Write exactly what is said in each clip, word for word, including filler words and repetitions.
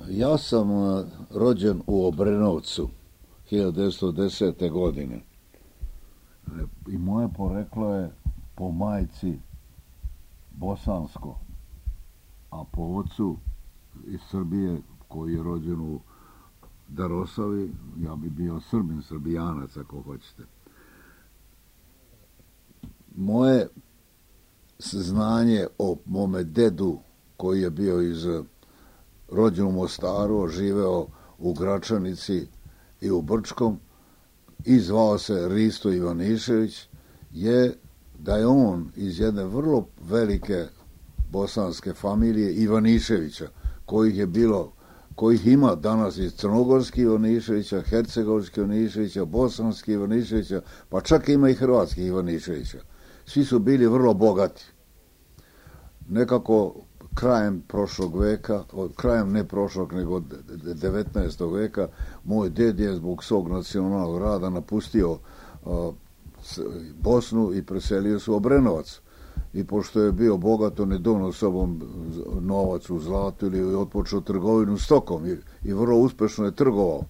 Ja sam uh, rođen u Obrenovcu hiljadu devetsto desete. godine. I moje poreklo je po majci bosansko, a po ocu iz Srbije koji je rođen u Darosavi, ja bi bio Srbin, Srbijanac ako hoćete. Moje znanje o mome dedu koji je bio iz rođen u Mostaru, živeo u Gračanici i u Brčkom i zvao se Risto Ivanišević, je da je on iz jedne vrlo velike bosanske familije Ivaniševića, kojih je bilo, kojih ima danas iz crnogorski Ivaniševića, hercegovski Ivaniševića, bosanski Ivaniševića, pa čak ima i hrvatski Ivaniševića. Svi su bili vrlo bogati. Nekako krajem prošlog veka, krajem ne prošlog, nego devetnaestog veka, moj ded je zbog svog nacionalnog rada napustio uh, Bosnu i preselio se u Obrenovac. I pošto je bio bogat, on je donio sobom novac u zlatu ili otpočeo trgovinu stokom i, i vrlo uspešno je trgovao.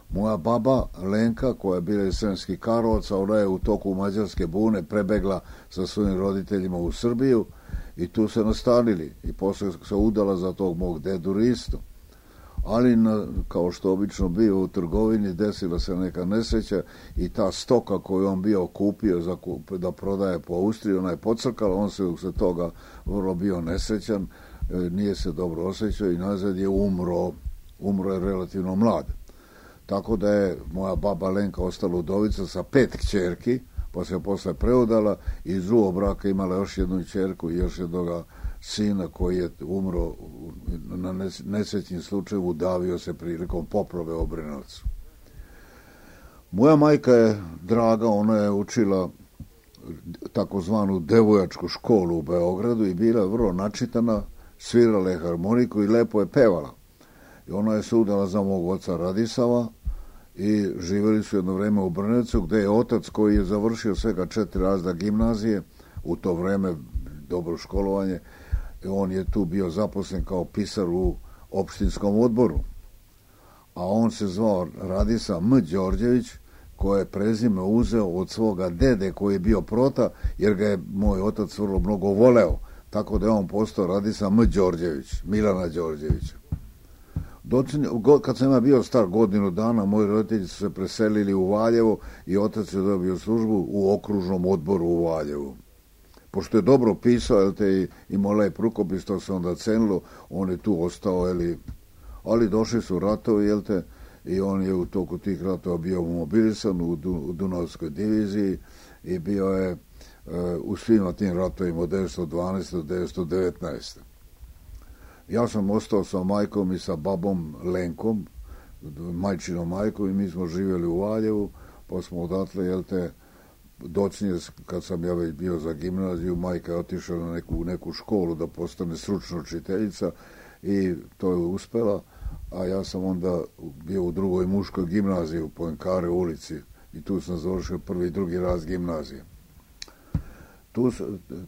Moja baba Lenka, koja je bila iz Sremskih Karlovaca, ona je u toku Mađarske bune prebegla sa svojim roditeljima u Srbiju i tu se nastanili i posle se udala za tog mog dedu Ristu. Ali, na, kao što obično bio u trgovini, desila se neka nesreća i ta stoka koju on bio kupio za kup, da prodaje po Austriji, ona je pocrkala, on se usred toga vrlo bio nesrećan, nije se dobro osjećao i nazad je umro, umro je relativno mlad. Tako da je moja baba Lenka ostala udovica sa pet kćerki, pa se posle preudala i iz drugog braka imala još jednu kćerku i još jednoga sina koji je umro na nesrećnim slučaju, udavio se prilikom poplave u Obrenovcu. Moja majka je draga, ona je učila takozvanu devojačku školu u Beogradu i bila vrlo načitana, svirala je harmoniku i lepo je pevala. I ona je se udala za mog oca Radisava i živjeli su jedno vreme u Brnevcu, gde je otac koji je završio svega četiri razreda gimnazije, u to vreme dobro školovanje, on je tu bio zaposlen kao pisar u opštinskom odboru. A on se zvao Radisa M. Đorđević, koje je prezime uzeo od svoga dede koji je bio prota, jer ga je moj otac vrlo mnogo voleo. Tako da je on postao Radisa M. Đorđević, Milana Đorđevića. Kad sam ja bio star godinu dana, moji roditelji su se preselili u Valjevo i otac je dobio službu u okružnom odboru u Valjevu. Pošto je dobro pisao, jel te, i imao lep rukopis, to se onda cenilo, on je tu ostao, jel, ali došli su ratovi, jel te, i on je u toku tih ratova bio mobilisan u, du, u Dunavskoj diviziji i bio je e, u svim tim ratovima od devetsto dvanaeste do devetsto devetnaeste. Ja sam ostao sa majkom i sa babom Lenkom, majčinom majkom, i mi smo živjeli u Valjevu, pa smo odatle, jel te, docnije, kad sam ja već bio za gimnaziju, majka je otišla na neku, neku školu da postane stručna učiteljica i to je uspela, a ja sam onda bio u drugoj muškoj gimnaziji u Poinkare ulici i tu sam završio prvi i drugi raz gimnazije. Tu,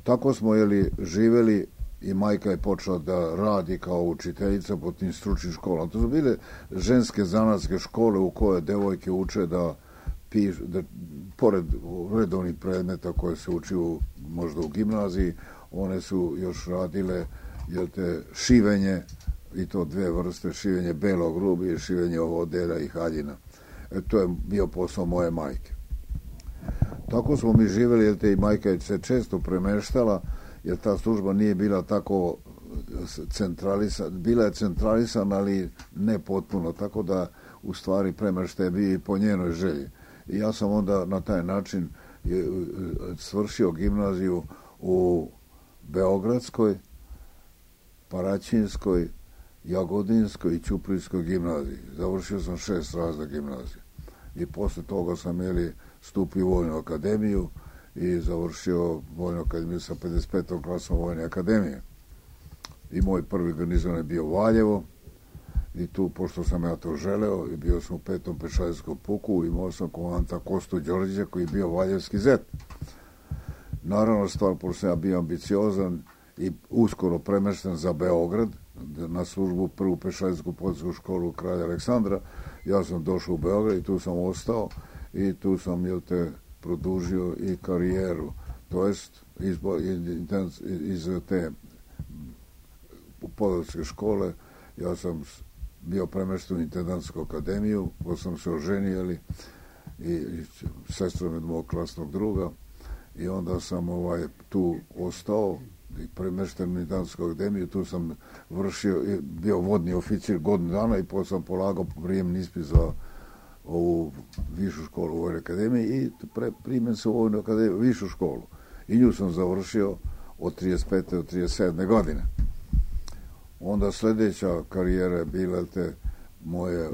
tako smo, jeli, živjeli i majka je počela da radi kao učiteljica po tim stručnim školama. To su bile ženske zanatske škole u koje devojke uče da pišu, da pored redovnih predmeta koje se uči u, možda u gimnaziji, one su još radile, jel te, šivenje, i to dve vrste, šivenje belog rubi i šivenje odela i haljina. E, to je bio posao moje majke. Tako smo mi živjeli, jel te, i majka je se često premeštala, jer ta služba nije bila tako centralisana, bila je centralisana, ali ne potpuno, tako da u stvari premeštaj je bio i po njenoj želji. I ja sam onda na taj način svršio gimnaziju u Beogradskoj, Paraćinskoj, Jagodinskoj i Ćuprijskoj gimnaziji. Završio sam šest razreda gimnazije. I posle toga sam, jeli, stupio u Vojnu akademiju i završio Vojnu akademiju sa pedeset petom klasom Vojne akademije. I moj prvi garnizon je bio Valjevo, i tu, pošto sam ja to želeo, i bio sam u petom pešadijskom puku, imao sam komandanta Kostu Đorđevića koji je bio valjevski zet. Naravno, stvar, pošto sam ja bio ambiciozan i uskoro premešten za Beograd na službu prvu pešadijsku policijsku školu kralja Aleksandra. Ja sam došao u Beograd i tu sam ostao i tu sam, jel te, produžio i karijeru. To jest iz, iz, iz te policijske škole ja sam bio premešten u intendantsku akademiju, pa sam se oženijeli i, i sestrom od mog klasnog druga i onda sam ovaj tu ostao i premešten u intendantsku akademiju. Tu sam vršio, bio vodni oficir godinu dana i potom sam polagao prijemni ispit za ovu višu školu u Vojnoj akademiji i pre, primjen se u Vojnu akademiju, višu školu. I nju sam završio od trideset pete do trideset sedme godine. Onda sljedeća karijera je bila te moje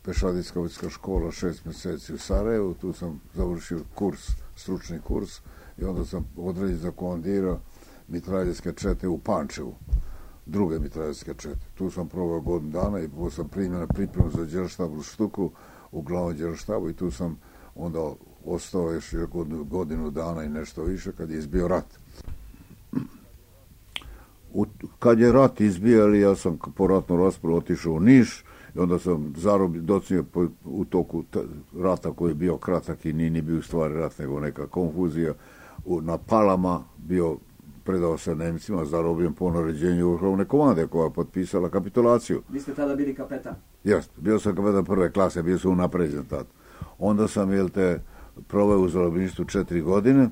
pešadijska vojska škola šest mjeseci u Sarajevu. Tu sam završio kurs, stručni kurs i onda sam određen za komandira mitraljevske čete u Pančevu, druge mitraljevske čete. Tu sam proveo godinu dana i potom sam primjen na pripremu za đerštab u Štuku u glavnom đerštabu i tu sam onda ostao još godinu, godinu dana i nešto više kad je izbio rat. U, kad je rat izbijali, ja sam po ratnom rasporedu otišao u Niš i onda sam zarobio, docinio u toku t, rata koji je bio kratak i nije ni bio u stvari rat, nego neka konfuzija. U, na Palama bio, predao se Nemcima, zarobljen po naređenju vrhovne komande koja je potpisala kapitulaciju. Vi ste tada bili kapetan? Jeste, bio sam kapetan prve klase, bio sam unapređen tad. Onda sam, jel te, proveo u zarobljeništvu četiri godine.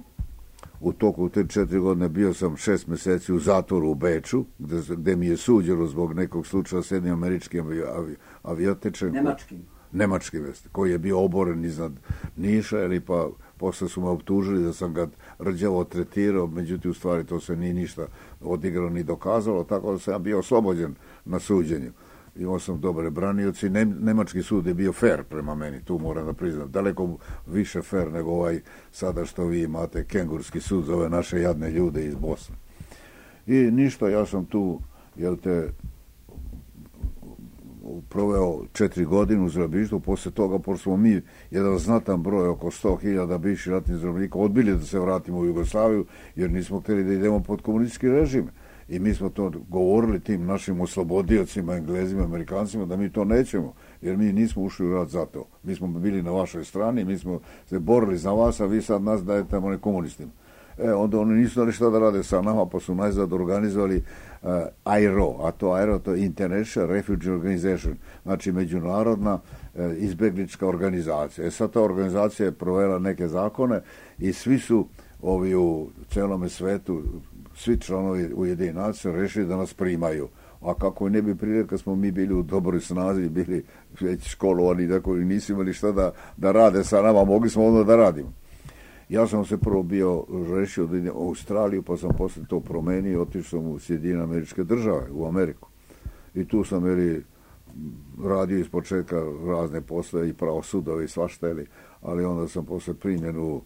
U toku te četiri godine bio sam šest mjeseci u zatvoru u Beču, gde, gde mi je suđeno zbog nekog slučaja s jednim američkim avi, avi, aviotečem. Nemačkim? Nemačkim, jeste, koji je bio oboren iznad Niša, ili pa posle su me optužili da sam ga rđavo tretirao, međutim u stvari to se nije ništa odigralo ni dokazalo, tako da sam ja bio oslobođen na suđenju. Imao sam dobre branioci, nemački sud je bio fair prema meni, tu moram da priznam, daleko više fair nego ovaj sada što vi imate kengurski sud za ove naše jadne ljude iz Bosne. I ništa, ja sam tu, jel te, proveo četiri godine u zarobljeništvu. Poslije toga, pošto smo mi jedan znatan broj, oko sto hiljada bivših ratnih zarobljenika, odbili da se vratimo u Jugoslaviju, jer nismo htjeli da idemo pod komunistički režim. I mi smo to govorili tim našim oslobodiocima, Englezima, Amerikancima, da mi to nećemo, jer mi nismo ušli u rat za to. Mi smo bili na vašoj strani, mi smo se borili za vas, a vi sad nas dajete one komunistima. E, onda oni nisu znali šta da rade sa nama, pa su najzad organizovali uh, I R O, a to I R O to je International Refugee Organization, znači međunarodna uh, izbjeglička organizacija. E sad ta organizacija je provela neke zakone i svi su ovi u celome svetu, svi članovi Ujedinjenih nacija rešili da nas primaju. A kako ne bi prije, kad smo mi bili u dobroj snazi, bili već školovani, dakle nisu imali šta da, da rade sa nama, mogli smo onda da radimo. Ja sam se prvo bio rešio da idem u Australiju, pa sam posle to promenio i otišao sam u Sjedinjene Američke Države, u Ameriku. I tu sam ili radio iz početka razne posle i pravosudove i svašta, ali onda sam posle primjen u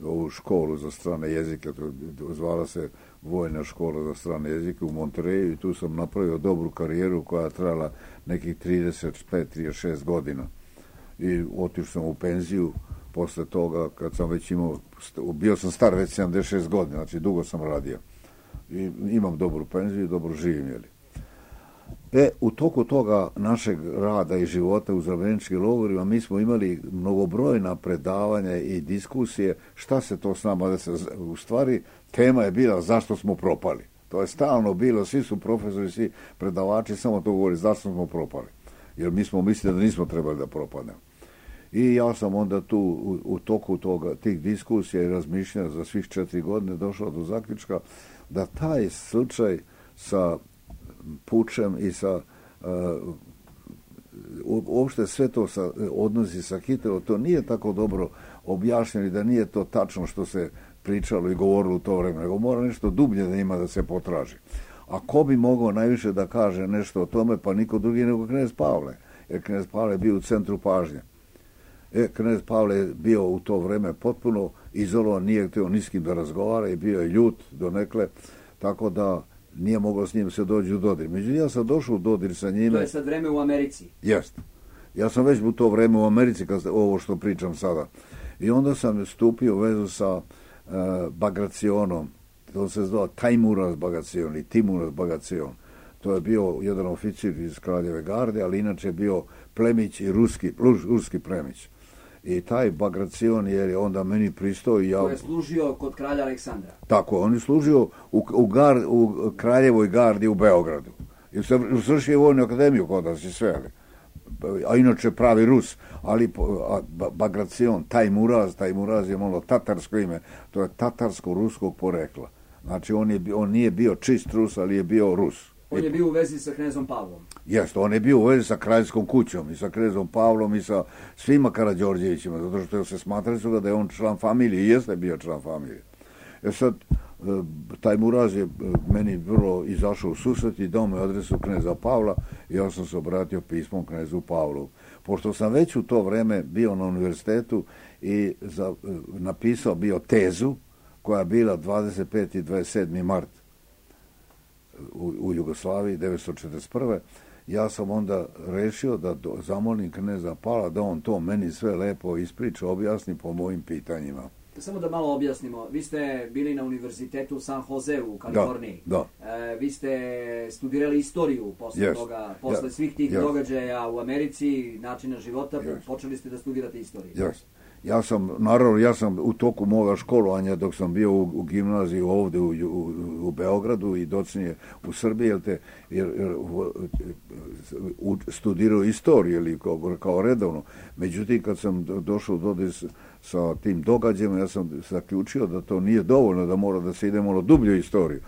ovu školu za strane jezike, to zvala se Vojna škola za strane jezike u Montereju i tu sam napravio dobru karijeru koja je trajala nekih trideset pet do trideset šest godina. I otišao sam u penziju posle toga kad sam već imao, bio sam star već sedamdeset šest godina, znači dugo sam radio. I imam dobru penziju i dobro živim, jeli. E, u toku toga našeg rada i života u zarobljeničkim logorima mi smo imali mnogobrojna predavanja i diskusije šta se to s nama da se, u stvari tema je bila zašto smo propali. To je stalno bilo, svi su profesori, svi predavači samo to govori zašto smo propali. Jer mi smo mislili da nismo trebali da propadnemo. I ja sam onda tu u, u toku toga, tih diskusija i razmišljanja za svih četiri godine došao do zaključka da taj slučaj sa pučem i sa uh, uopšte sve to sa, odnosi sa Hitlerom, to nije tako dobro objašnjeno i da nije to tačno što se pričalo i govorilo u to vreme, nego mora nešto dublje da ima da se potraži. A ko bi mogao najviše da kaže nešto o tome, pa niko drugi nego knez Pavle, jer knez Pavle je bio u centru pažnje. E, knez Pavle je bio u to vreme potpuno izolovan, nije htio ni s kim da razgovara i bio je ljut donekle, tako da nije moglo s njim se dođi u dodir. Međutim, ja sam došao u dodir sa njime. To je sad vreme u Americi. Jest. Ja sam već u to vreme u Americi, kad ovo što pričam sada. I onda sam stupio u vezu sa uh, Bagracionom, to se zvao Tajmuraz Bagacion i Timuraz Bagacion. To je bio jedan oficir iz Kraljeve garde, ali inače bio plemić i ruski, ruski plemić. I taj Bagacion je onda meni pristao i ja... To je služio kod kralja Aleksandra. Tako, on je služio u, u, gar, u Kraljevoj gardi u Beogradu. I svršio vojnu akademiju kod nas i sve. A inače pravi Rus, ali Bagacion, Tajmuraz, Tajmuraz je malo tatarsko ime, to je tatarsko-ruskog porekla. Znači on, je, on nije bio čist Rus, ali je bio Rus. On je bio u vezi sa knezom Pavlom. Jeste, on je bio u vezi sa kraljskom kućom i sa knezom Pavlom i sa svima Karađorđevićima, zato što se smatrali su ga da je on član familije i jeste bio član familije. E sad, Tajmuraz je meni vrlo izašao u susret i dao me adresu kneza Pavla i ja sam se obratio pismom knezu Pavlu. Pošto sam već u to vreme bio na univerzitetu i za, napisao bio tezu koja je bila dvadeset peti i dvadeset sedmi mart u, u Jugoslaviji devetsto četrdeset prve. Ja sam onda rešio da do, zamolim kneza Pavla da on to meni sve lepo ispriča, objasni po mojim pitanjima. Samo da malo objasnimo, vi ste bili na univerzitetu u San Jose u Kaliforniji. Da, da. E, vi ste studirali istoriju posle yes. toga, posle yes. svih tih yes. događaja u Americi, načina života, yes. počeli ste da studirate istoriju. Yes. Ja sam, naravno, ja sam u toku moga školovanja, dok sam bio u, u gimnaziji ovde u, u, u Beogradu i docnije u Srbiji, jer te, jer, jer, u, studirao istoriju ili kao, kao redovno. Međutim, kad sam došao do dodir sa tim događajima, ja sam zaključio da to nije dovoljno, da mora da se ide malo dublje u istoriju.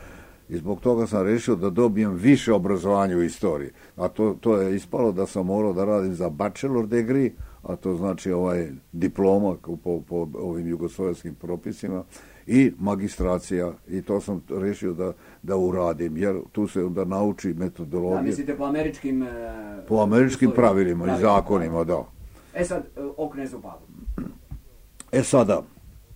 I zbog toga sam rešio da dobijem više obrazovanja u istoriji. A to, to je ispalo da sam morao da radim za bachelor degree, a to znači ovaj diploma po, po ovim jugoslovenskim propisima i magistracija, i to sam rešio da, da uradim, jer tu se onda nauči metodologija. Da, mislite po američkim... Po američkim pravilima, pravilima i zakonima, da. E sad, o knezu Pavlu. E sada,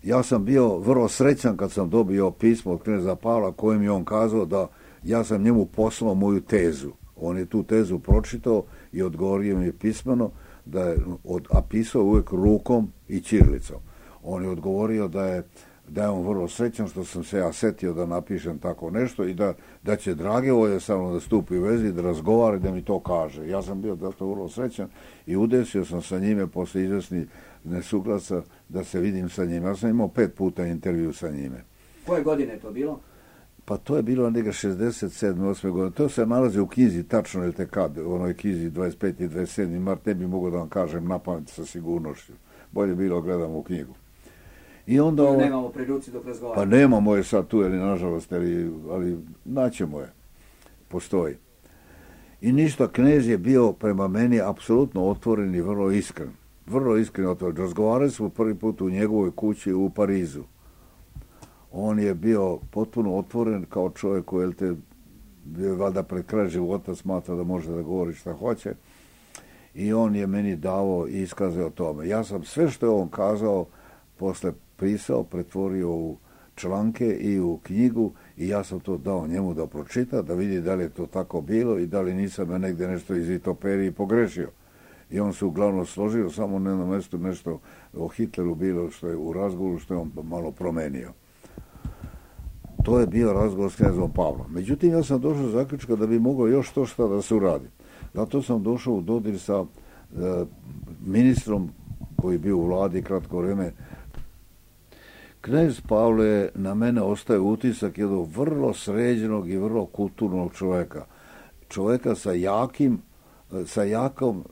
ja sam bio vrlo srećan kad sam dobio pismo od kneza Pavla kojim je on kazao da ja sam njemu poslao moju tezu. On je tu tezu pročitao i odgovorio mi je pismeno da je od, a pisao uvijek rukom i ćirilicom. On je odgovorio da je, da je on vrlo srećan što sam se ja setio da napišem tako nešto i da, da će drage volje sa mnom da stupi u vezi, da razgovara i da mi to kaže. Ja sam bio zato vrlo srećan i udesio sam sa njime posle izvesnih nesuglasa da se vidim sa njime. Ja sam imao pet puta intervju sa njime. Koje godine je to bilo? Pa to je bilo neka šezdeset sedme osme godine. To se nalazi u knjizi, tačno je te kad, u onoj knjizi dvadeset peti i dvadeset sedmi mart, ne bi mogao da vam kažem na pamet sa sigurnošću. Bolje bilo gledamo u knjigu. I onda ovo... Nemamo pri ruci dok razgovaramo. Pa nemamo je sad tu, ali nažalost, ali, ali naćemo je. Postoji. I ništa, knez je bio prema meni apsolutno otvoren i vrlo iskren. Vrlo iskren otvoren. Razgovarali smo prvi put u njegovoj kući u Parizu. On je bio potpuno otvoren kao čovjek koji te valjda pred kraj života smatra da može da govori šta hoće. I on je meni davao iskaze o tome. Ja sam sve što je on kazao posle pisao, pretvorio u članke i u knjigu i ja sam to dao njemu da pročita, da vidi da li je to tako bilo i da li nisam ja negdje nešto iz vitoperije pogrešio. I on se uglavnom složio, samo na jednom mjestu nešto o Hitleru bilo što je u razgovoru, što je on malo promenio. To je bio razgovor s knezom Pavlom. Međutim, ja sam došao do zaključka da bi moglo još to šta da se uradi. Zato sam došao u dodir sa e, ministrom koji je bio u vladi kratko vrijeme. Knez Pavle na mene ostaje utisak jednog vrlo sređenog i vrlo kulturnog čovjeka. Čovjeka sa jakim, sa jakom,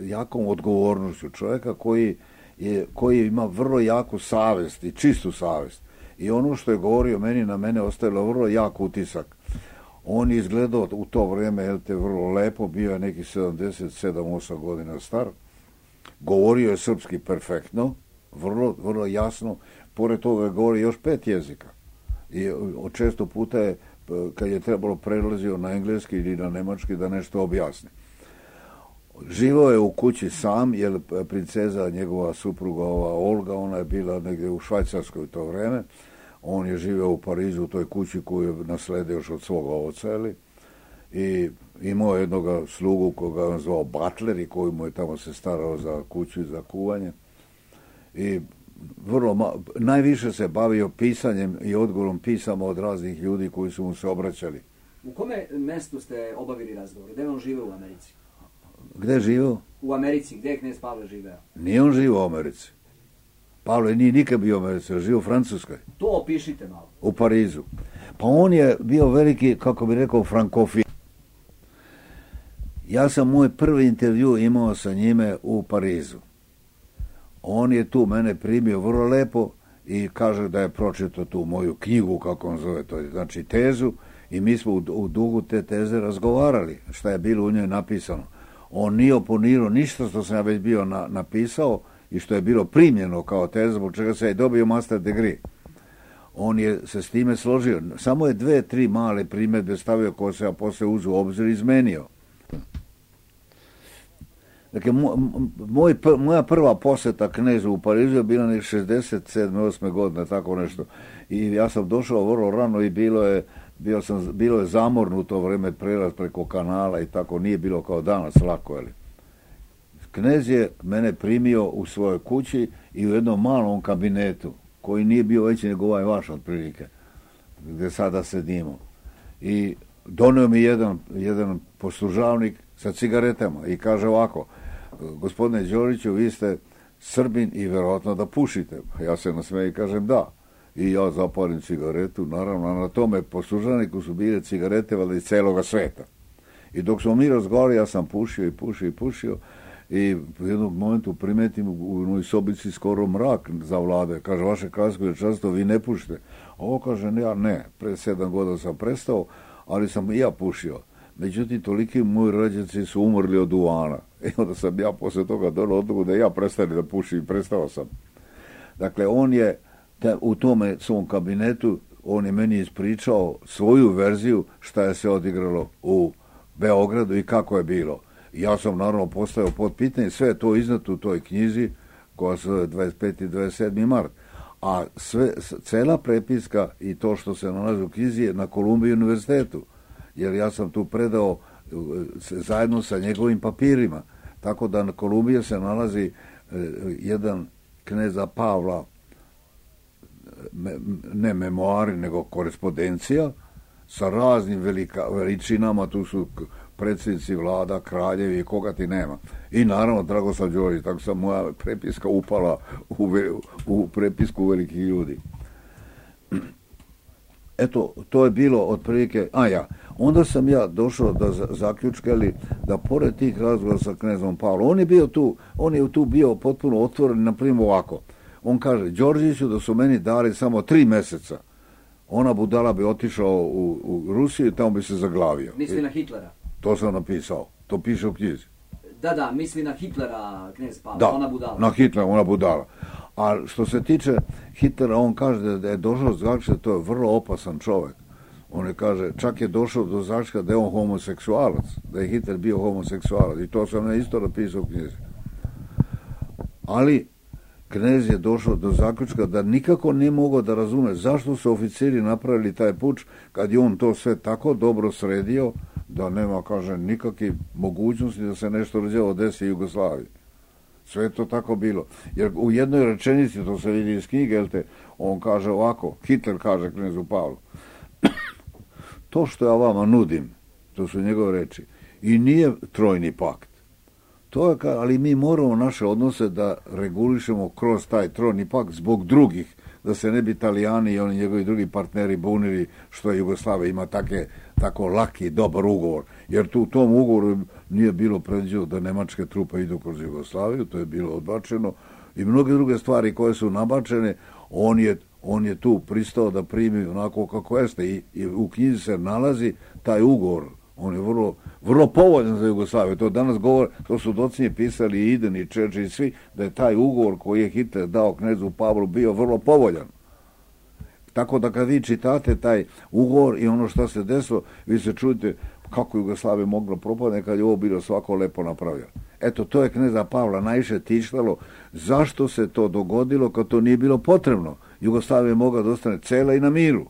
jakom odgovornošću. Čovjeka koji, je, koji ima vrlo jaku savest i čistu savest. I ono što je govorio meni, na mene ostavilo vrlo jak utisak. On je izgledao u to vrijeme, jel te, vrlo lepo, bio je neki sedamdeset sedam osam godina star. Govorio je srpski perfektno, vrlo, vrlo jasno. Pored toga je govorio još pet jezika. I često puta je, kad je trebalo, prelazio na engleski ili na nemački da nešto objasni. Živao je u kući sam, jer princeza, njegova supruga, ova Olga, ona je bila negdje u Švajcarskoj u to vrijeme. On je živio u Parizu u toj kući koju je nasledio još od svoga oca, ili? I imao jednog slugu koga je zvao Butler i koji mu je tamo se starao za kuću i za kuvanje. I vrlo ma, najviše se bavio pisanjem i odgovorom pisama od raznih ljudi koji su mu se obraćali. U kome mestu ste obavili razgovor? Gde on žive u Americi? Gde živio? U Americi. Gde je knez Pavle živeo? Nije on živio u Americi. Pavle nije nikad bio u Americi, živio u Francuskoj. To opišite malo. U Parizu. Pa on je bio veliki, kako bi rekao, frankofil. Ja sam moj prvi intervju imao sa njime u Parizu. On je tu mene primio vrlo lepo i kaže da je pročitao tu moju knjigu, kako on zove to, znači tezu, i mi smo u, u dugu te teze razgovarali, šta je bilo u njoj napisano. On nije oponirao ništa što sam ja već bio na, napisao i što je bilo primljeno kao teza, zbog čega se je dobio master degree. On je se s time složio. Samo je dve, tri male primjedbe stavio koje se ja posle uzu u obzir i izmenio. Dakle, moj, moja prva posjeta knezu u Parizu je bila ne šezdeset sedme osme godine, tako nešto. I ja sam došao vrlo rano i bilo je, bio sam, bilo je zamorno u to vrijeme, prelaz preko kanala i tako, nije bilo kao danas lako, ali. Knez je mene primio u svojoj kući i u jednom malom kabinetu, koji nije bio veći nego ovaj vaš otprilike, gdje sada sedimo. I donio mi jedan, jedan poslužavnik sa cigaretama i kaže ovako: gospodine Đoriću, vi ste Srbin i vjerojatno da pušite. Ja se nasmejem i kažem da. I ja zapalim cigaretu, naravno, na tome poslužavniku su bile cigarete valjda iz celoga sveta. I dok smo mi razgovarali, ja sam pušio i pušio i pušio i u jednom momentu primetim u onoj sobici skoro mrak zavlade. Kaže, vaše kraljesko veličanstvo, vi ne pušite. Ovo kaže, ja ne, pre sedam godina sam prestao, ali sam i ja pušio. Međutim, toliki moji rođaci su umrli od duvana. I onda sam ja posle toga donio odluku da ja prestane da pušim i prestao sam. Dakle, on je te, u tome svom kabinetu, on je meni ispričao svoju verziju šta je se odigralo u Beogradu i kako je bilo. Ja sam naravno postavio pod pitanje, sve je to izneto u toj knjizi koja se zove dvadeset peti i dvadeset sedmi mart. A sve, cela prepiska i to što se nalazi u knjizi je na Kolumbiji univerzitetu. Jer ja sam tu predao zajedno sa njegovim papirima. Tako da na Kolumbiji se nalazi jedan kneza Pavla, ne memoari, nego korespondencija sa raznim velika, veličinama, tu su predsjednici vlada, kraljevi, koga ti nema. I naravno Dragoslav Đorić, tako sam moja prepiska upala u, ve, u prepisku velikih ljudi. Eto, to je bilo otprilike, a ja, onda sam ja došao do zaključka, ali da pored tih razgovora sa knezom Pavlom, on je bio tu, on je tu bio potpuno otvoren, na primjer ovako. On kaže, Đorđiću, da su meni dali samo tri meseca, ona budala bi otišao u, u Rusiju i tamo bi se zaglavio. Misli na Hitlera? To sam napisao, to piše u knjizi. Da, da, misli na Hitlera, knez Pavla, da, ona budala. Na Hitlera, ona budala. A što se tiče Hitlera, on kaže da je došao do zaključka, to je vrlo opasan čovjek. On je kaže, čak je došao do zaključka da je on homoseksualac, da je Hitler bio homoseksualac. I to sam ne isto napisao u knjizi. Ali knez je došao do zaključka da nikako nije mogao da razume zašto su oficiri napravili taj puč kad je on to sve tako dobro sredio da nema, kaže, nikakve mogućnosti da se nešto rođevo desi Jugoslaviji. Sve je to tako bilo. Jer u jednoj rečenici, to se vidi iz knjige, jel te, on kaže ovako, Hitler kaže knezu Pavlu, to što ja vama nudim, to su njegove reči, i nije trojni pakt. To je, ali mi moramo naše odnose da regulišemo kroz taj trojni pakt zbog drugih, da se ne bi Italijani i oni njegovi drugi partneri bunili što je Jugoslavija ima take, tako laki, dobar ugovor. Jer tu u tom ugovoru nije bilo predviđeno da nemačke trupe idu kroz Jugoslaviju, to je bilo odbačeno i mnoge druge stvari koje su nabačene, on je, on je tu pristao da primi onako kako jeste i, i u knjizi se nalazi taj ugovor. On je vrlo, vrlo povoljan za Jugoslaviju. To danas govore, to su docinje pisali i Iden i Čerči i svi, da je taj ugovor koji je Hitler dao knezu Pavlu bio vrlo povoljan. Tako da kad vi čitate taj ugovor i ono što se desilo, vi se čujete kako Jugoslavija mogla propadne kad je ovo bilo svako lepo napravljeno. Eto, to je kneza Pavla najviše tištalo. Zašto se to dogodilo kad to nije bilo potrebno? Jugoslavija je mogla da ostane cela i na miru.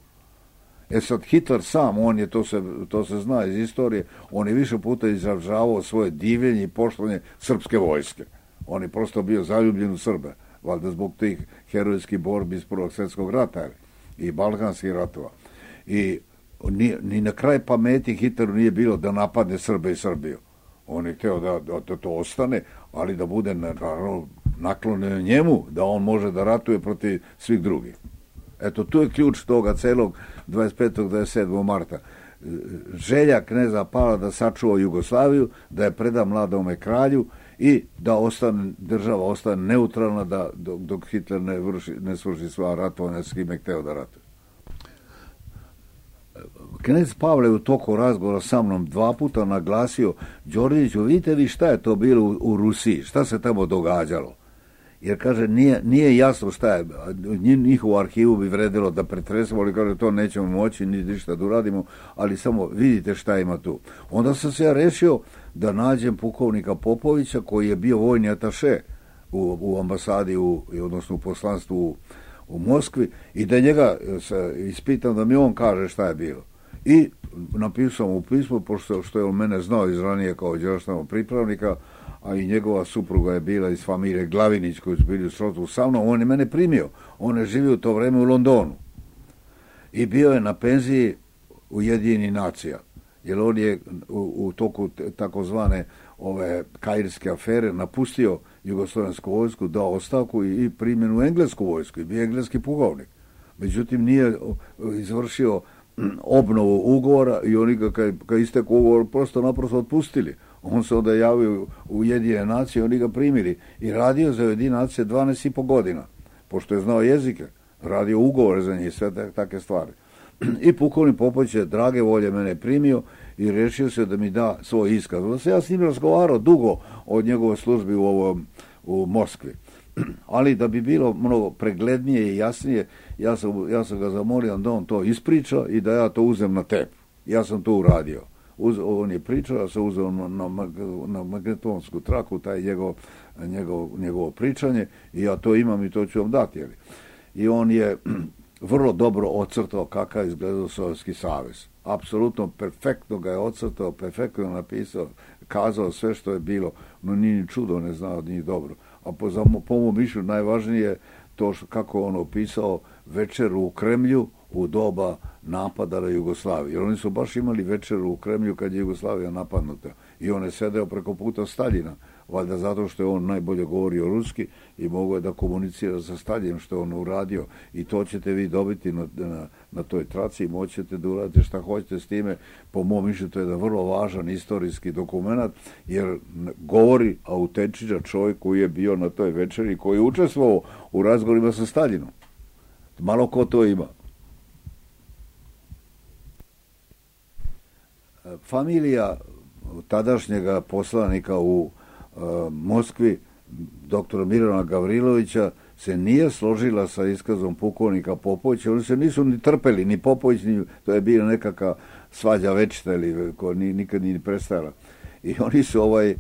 E sad, Hitler sam, on je, to se, to se zna iz istorije, on je više puta izražavao svoje divljenje i poštovanje srpske vojske. On je prosto bio zaljubljen u Srbe. valjda zbog tih herojskih borbi iz Prvog svjetskog rata i balkanskih ratova. I ni, ni na kraj pameti Hitleru nije bilo da napadne Srbe i Srbiju. On je htio da, da to ostane, ali da bude naravno naklonjen njemu, da on može da ratuje protiv svih drugih. Eto, tu je ključ toga celog dvadeset petog do dvadeset sedmog marta. Želja kneza Pavla da sačuva Jugoslaviju, da je preda mladome kralju i da ostane, država ostane neutralna da, dok, dok Hitler ne, vrši, ne svrši sva ratovanja s kime hteo da ratuje. Knez Pavle u toku razgovora sa mnom dva puta naglasio: Đorđeviću, vidite vi šta je to bilo u, u Rusiji, šta se tamo događalo. Jer, kaže, nije, nije jasno šta je, njihovu arhivu bi vredilo da pretresemo, ali kaže, to nećemo moći, ni ništa da uradimo, ali samo vidite šta ima tu. Onda sam se ja rešio da nađem pukovnika Popovića, koji je bio vojni ataše u, u ambasadi, u, odnosno u poslanstvu u, u Moskvi, i da njega se ispitam da mi on kaže šta je bilo. I napisao mu pismo, pošto što je on mene znao iz ranije kao đerašnog pripravnika, a i njegova supruga je bila iz familije Glavinić, koji su bili u srodstvu sa mnom, on je mene primio. On je živio u to vreme u Londonu. I bio je na penziji Ujedinjenih nacija. Jer on je u, u toku takozvane ove kairske afere napustio jugoslovensku vojsku, dao ostavku i, i primjen u englesku vojsku i bio engleski pukovnik. Međutim, nije izvršio obnovu ugovora i oni ga kad, kad istekao ugovor prosto naprosto otpustili. On se onda javio u Ujedinjene nacije, oni ga primili i radio za Ujedinjene nacije dvanaest i po godina, pošto je znao jezike, radio ugovore za njih i sve takve stvari. I pukovnik Popović je drage volje mene primio i rešio se da mi da svoj iskaz. Onda se ja s njim razgovarao dugo o njegovoj službi u, ovom, u Moskvi. Ali da bi bilo mnogo preglednije i jasnije, ja sam, ja sam ga zamolio da on to ispriča i da ja to uzem na tep. Ja sam to uradio. Uz, on je pričao, ja sam uzeo na, na, na magnetonsku traku taj njegov, njegov, njegovo pričanje i ja to imam i to ću vam dati. Jeli. I on je vrlo dobro ocrtao kakav je izgledao Sovjetski savez. Apsolutno perfektno ga je ocrtao, perfektno je napisao, kazao sve što je bilo, no nije ni čudo, ne znao od njih dobro. A po, za, po mom mišlju najvažnije je to što, kako on opisao večeru u Kremlju u doba napada na Jugoslaviju. Jer oni su baš imali večeru u Kremlju kad je Jugoslavija napadnuta. I on je sedeo preko puta Staljina, valjda zato što je on najbolje govorio ruski i mogao je da komunicira sa Staljinom što je on uradio. I to ćete vi dobiti na, na, na toj traci i moćete da uradite šta hoćete s time. Po mom mišljenju to je jedan vrlo važan istorijski dokument, jer govori autentičan čovjek koji je bio na toj večeri, koji je učestvovao u razgovorima sa Staljinom. Malo ko to ima. Familija tadašnjega poslanika u uh, Moskvi, doktora Mirana Gavrilovića, se nije složila sa iskazom pukovnika Popovića. Oni se nisu ni trpeli, ni Popović, ni, to je bila nekakva svađa večita ili koja ni, nikad nije prestala. I oni su ovaj, uh,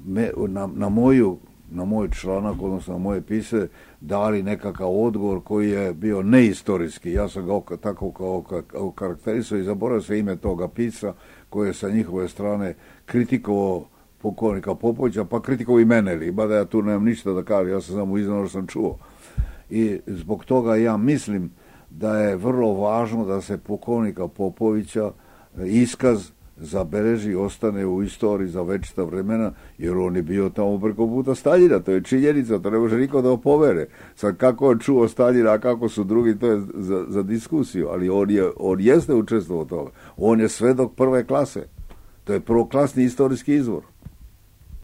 me, na, na moju na moj članak, odnosno na moje pise, dali nekakav odgovor koji je bio neistorijski. Ja sam ga tako kao karakterisao i zaboravio se ime toga pisa koji je sa njihove strane kritikovao pukovnika Popovića, pa kritikovao i mene, mada ja tu nemam ništa da kažem, ja sam samo iznao što sam čuo. I zbog toga ja mislim da je vrlo važno da se pukovnika Popovića iskaz zabeleži i ostane u istoriji za večita vremena, jer on je bio tamo preko puta Staljina, to je činjenica, to ne može niko da opovere. Sad kako on čuo Staljina, a kako su drugi, to je za, za diskusiju, ali on, je, on jeste učestvovao toga. On je svedok prve klase. To je prvoklasni istorijski izvor.